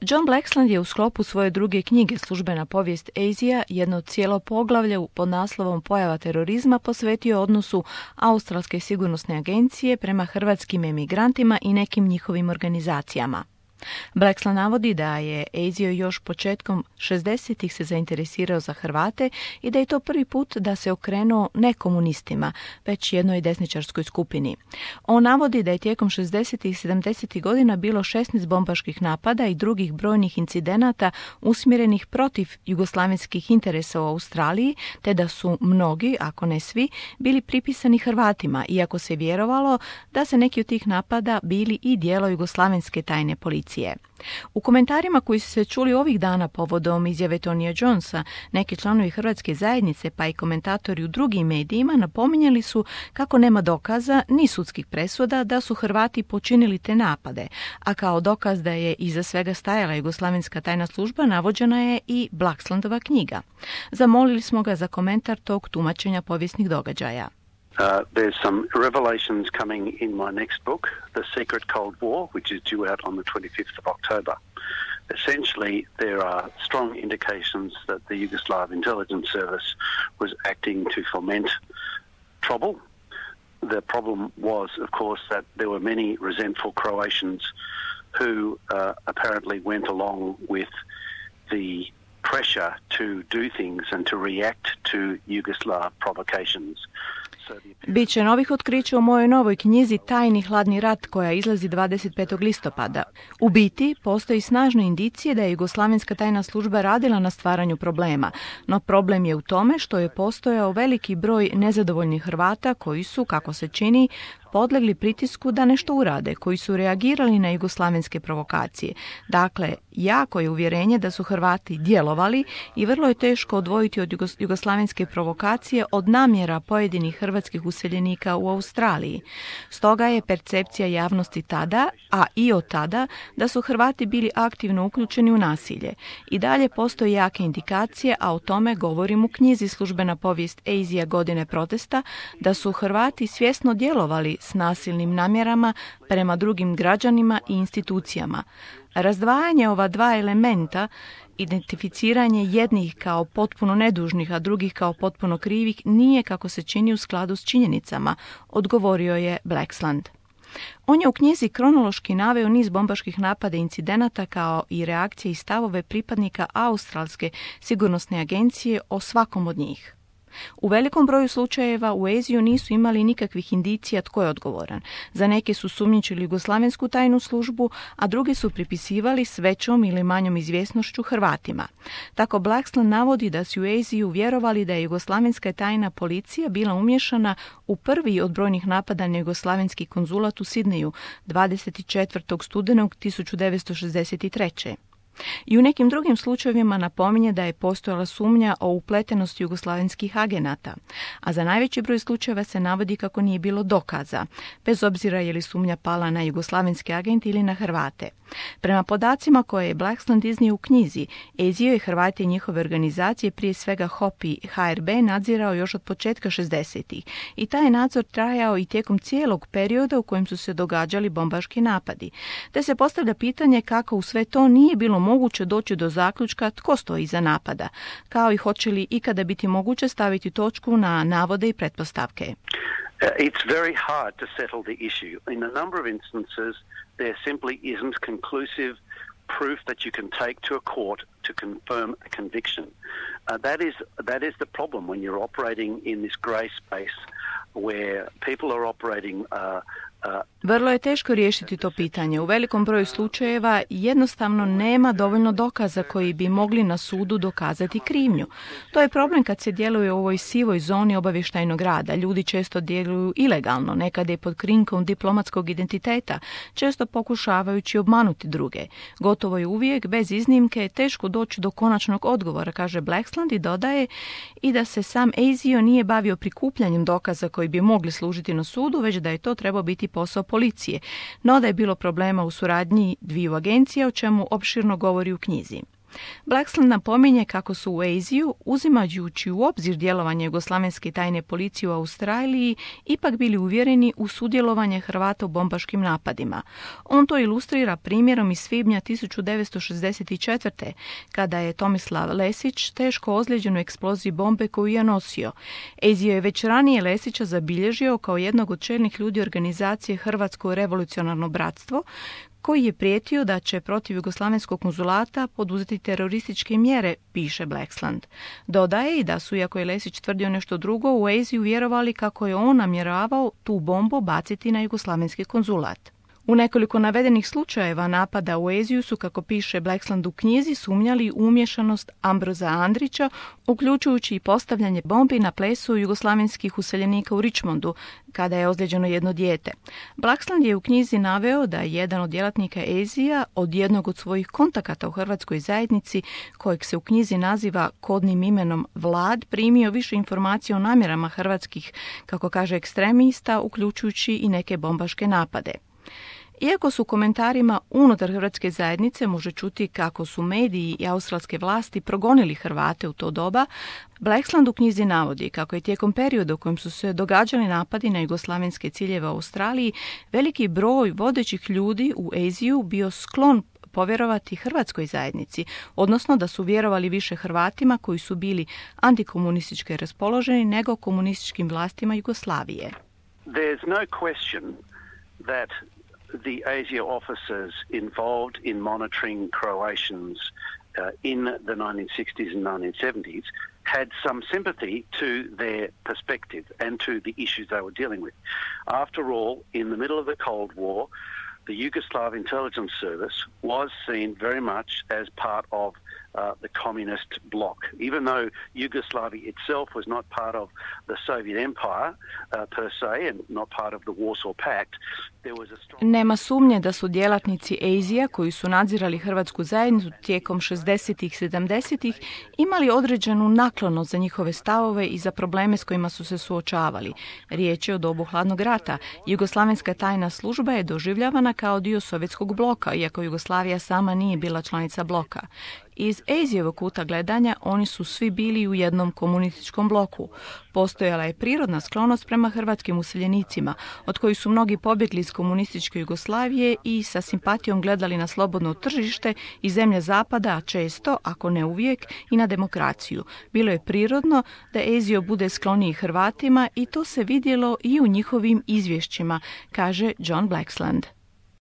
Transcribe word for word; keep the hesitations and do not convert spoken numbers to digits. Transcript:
John Blaxland je u sklopu svoje druge knjige Službena povijest Azija jedno cijelo poglavlje pod naslovom Pojava terorizma posvetio odnosu Australske sigurnosne agencije prema hrvatskim emigrantima i nekim njihovim organizacijama. Blaxland navodi da je Azio još početkom šezdesetih se zainteresirao za Hrvate i da je to prvi put da se okrenuo ne komunistima, već jednoj desničarskoj skupini. On navodi da je tijekom šezdesetih i sedamdesetih godina bilo šesnaest bombaških napada i drugih brojnih incidenata usmjerenih protiv jugoslavenskih interesa u Australiji, te da su mnogi, ako ne svi, bili pripisani Hrvatima, iako se vjerovalo da se neki od tih napada bili i dijelo jugoslavenske tajne policije. U komentarima koji su se čuli ovih dana povodom izjave Tonija Jonesa, neki članovi hrvatske zajednice pa i komentatori u drugim medijima napominjali su kako nema dokaza ni sudskih presuda da su Hrvati počinili te napade, a kao dokaz da je iza svega stajala jugoslavenska tajna služba navođena je i Blaxlandova knjiga. Zamolili smo ga za komentar tog tumačenja povijesnih događaja. Uh, there's some revelations coming in my next book, The Secret Cold War, which is due out on the twenty-fifth of October. Essentially, there are strong indications that the Yugoslav intelligence service was acting to foment trouble. The problem was, of course, that there were many resentful Croatians who uh, apparently went along with the pressure to do things and to react to Yugoslav provocations. Biće novih otkrića u mojoj novoj knjizi Tajni hladni rat koja izlazi dvadeset petog listopada. U biti, postoji snažne indicije da je jugoslavenska tajna služba radila na stvaranju problema, no problem je u tome što je postojao veliki broj nezadovoljnih Hrvata koji su, kako se čini, podlegli pritisku da nešto urade, koji su reagirali na jugoslavenske provokacije. Dakle, jako je uvjerenje da su Hrvati djelovali i vrlo je teško odvojiti od jugoslavenske provokacije od namjera pojedinih hrvatskih useljenika u Australiji. Stoga je percepcija javnosti tada, a i od tada, da su Hrvati bili aktivno uključeni u nasilje. I dalje postoje jake indikacije, a o tome govorim u knjizi Službena povijest Azija godine protesta, da su Hrvati svjesno djelovali s nasilnim namjerama prema drugim građanima i institucijama. Razdvajanje ova dva elementa, identificiranje jednih kao potpuno nedužnih, a drugih kao potpuno krivih, nije, kako se čini, u skladu s činjenicama, odgovorio je Blaxland. On je u knjizi kronološki naveo niz bombaških napada i incidenata kao i reakcije i stavove pripadnika Australske sigurnosne agencije o svakom od njih. U velikom broju slučajeva u Aziju nisu imali nikakvih indicija tko je odgovoran. Za neke su sumnjičili jugoslavensku tajnu službu, a drugi su pripisivali s većom ili manjom izvjesnošću Hrvatima. Tako Blaxland navodi da su u Aziju vjerovali da je jugoslavenska tajna policija bila umješana u prvi od brojnih napada na jugoslavenski konzulat u Sidneju dvadeset četvrtog studenog tisuću devetsto šezdeset treće. I u nekim drugim slučajevima napominje da je postojala sumnja o upletenosti jugoslavenskih agenata, a za najveći broj slučajeva se navodi kako nije bilo dokaza, bez obzira je li sumnja pala na jugoslavenske agente ili na Hrvate. Prema podacima koje je Blaxland iznio u knjizi, Azio je Hrvati i njihove organizacije, prije svega H O P i H R B, nadzirao još od početka šezdesetih i taj je nadzor trajao i tijekom cijelog perioda u kojem su se događali bombaški napadi. Te se postavlja pitanje kako u sve to nije bilo moguće doći do zaključka tko stoji iza napada, kao i hoće li ikada biti moguće staviti točku na navode i pretpostavke. Uh, it's very hard to settle the issue. In a number of instances, there simply isn't conclusive proof that you can take to a court to confirm a conviction. Uh, that is that is the problem when you're operating in this grey space where people are operating uh, uh, Vrlo je teško riješiti to pitanje. U velikom broju slučajeva jednostavno nema dovoljno dokaza koji bi mogli na sudu dokazati krivnju. To je problem kad se djeluje u ovoj sivoj zoni obavještajnog rada. Ljudi često djeluju ilegalno, nekada je pod krinkom diplomatskog identiteta, često pokušavajući obmanuti druge. Gotovo je uvijek, bez iznimke, teško doći do konačnog odgovora, kaže Blaxland, i dodaje i da se sam Azio nije bavio prikupljanjem dokaza koji bi mogli služiti na sudu, već da je to trebao biti posao policije, no da je bilo problema u suradnji dviju agencija, o čemu opširno govori u knjizi. Blaxland napominje kako su u Aziju, uzimajući u obzir djelovanje jugoslavenske tajne policije u Australiji, ipak bili uvjereni u sudjelovanje Hrvata u bombaškim napadima. On to ilustrira primjerom iz svibnja tisuću devetsto šezdeset četvrte. kada je Tomislav Lesić teško ozlijeđen u eksploziji bombe koju je nosio. Azio je već ranije Lesića zabilježio kao jednog od čelnih ljudi organizacije Hrvatsko revolucionarno bratstvo, koji je prijetio da će protiv jugoslavenskog konzulata poduzeti terorističke mjere, piše Blaxland. Dodaje i da su, iako je Lesić tvrdio nešto drugo, u Aziju vjerovali kako je on namjeravao tu bombu baciti na jugoslavenski konzulat. U nekoliko navedenih slučajeva napada u Aziju su, kako piše Blaxland u knjizi, sumnjali u umješanost Ambroza Andrića, uključujući i postavljanje bombi na plesu jugoslavenskih useljenika u Richmondu, kada je ozlijeđeno jedno dijete. Blaxland je u knjizi naveo da je jedan od djelatnika Azija od jednog od svojih kontakata u hrvatskoj zajednici, kojeg se u knjizi naziva kodnim imenom Vlad, primio više informacija o namjerama hrvatskih, kako kaže, ekstremista, uključujući i neke bombaške napade. Iako su u komentarima unutar hrvatske zajednice može čuti kako su mediji i australske vlasti progonili Hrvate u to doba, Blaxland u knjizi navodi kako je tijekom perioda u kojem su se događali napadi na jugoslavenske ciljeve u Australiji, veliki broj vodećih ljudi u Aziju bio sklon povjerovati hrvatskoj zajednici, odnosno da su vjerovali više Hrvatima koji su bili antikomunistički raspoloženi nego komunističkim vlastima Jugoslavije. There's no question that the ASIO officers involved in monitoring Croatians uh, in the nineteen sixties and nineteen seventies had some sympathy to their perspective and to the issues they were dealing with. After all, in the middle of the Cold War, the Yugoslav intelligence service was seen very much as part of uh, the communist bloc. Even though Yugoslavia itself was not part of the Soviet Empire uh, per se and not part of the Warsaw Pact, there was a strong... Nema sumnje da su djelatnici Azija, koji su nadzirali hrvatsku zajednicu tijekom šezdesetih i sedamdesetih, imali određenu naklonost za njihove stavove i za probleme s kojima su se suočavali. Riječ je o dobu hladnog rata. Jugoslavenska tajna služba je doživljavana kao dio sovjetskog bloka, iako Jugoslavija sama nije bila članica bloka. Iz Azijevog kuta gledanja oni su svi bili u jednom komunističkom bloku. Postojala je prirodna sklonost prema hrvatskim useljenicima, od kojih su mnogi pobjegli iz komunističke Jugoslavije i sa simpatijom gledali na slobodno tržište i zemlje zapada, a često, ako ne uvijek, i na demokraciju. Bilo je prirodno da Azio bude skloniji Hrvatima i to se vidjelo i u njihovim izvješćima, kaže John Blaxland.